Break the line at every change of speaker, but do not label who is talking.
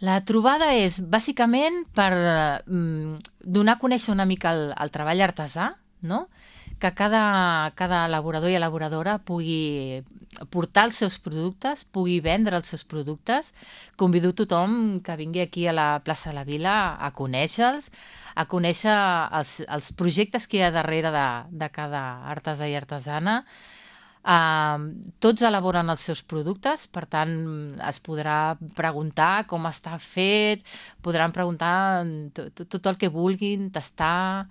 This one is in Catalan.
La trobada és bàsicament per donar a conèixer una mica el treball artesà, no? Que cada elaborador i elaboradora pugui portar els seus productes, pugui vendre els seus productes. Convido tothom que vingui aquí a la plaça de la Vila a conèixer-los, a conèixer els projectes que hi ha darrere de cada artesà i artesana. Tots elaboren els seus productes, per tant es podrà preguntar com està fet, podran preguntar tot el que vulguin, tastar,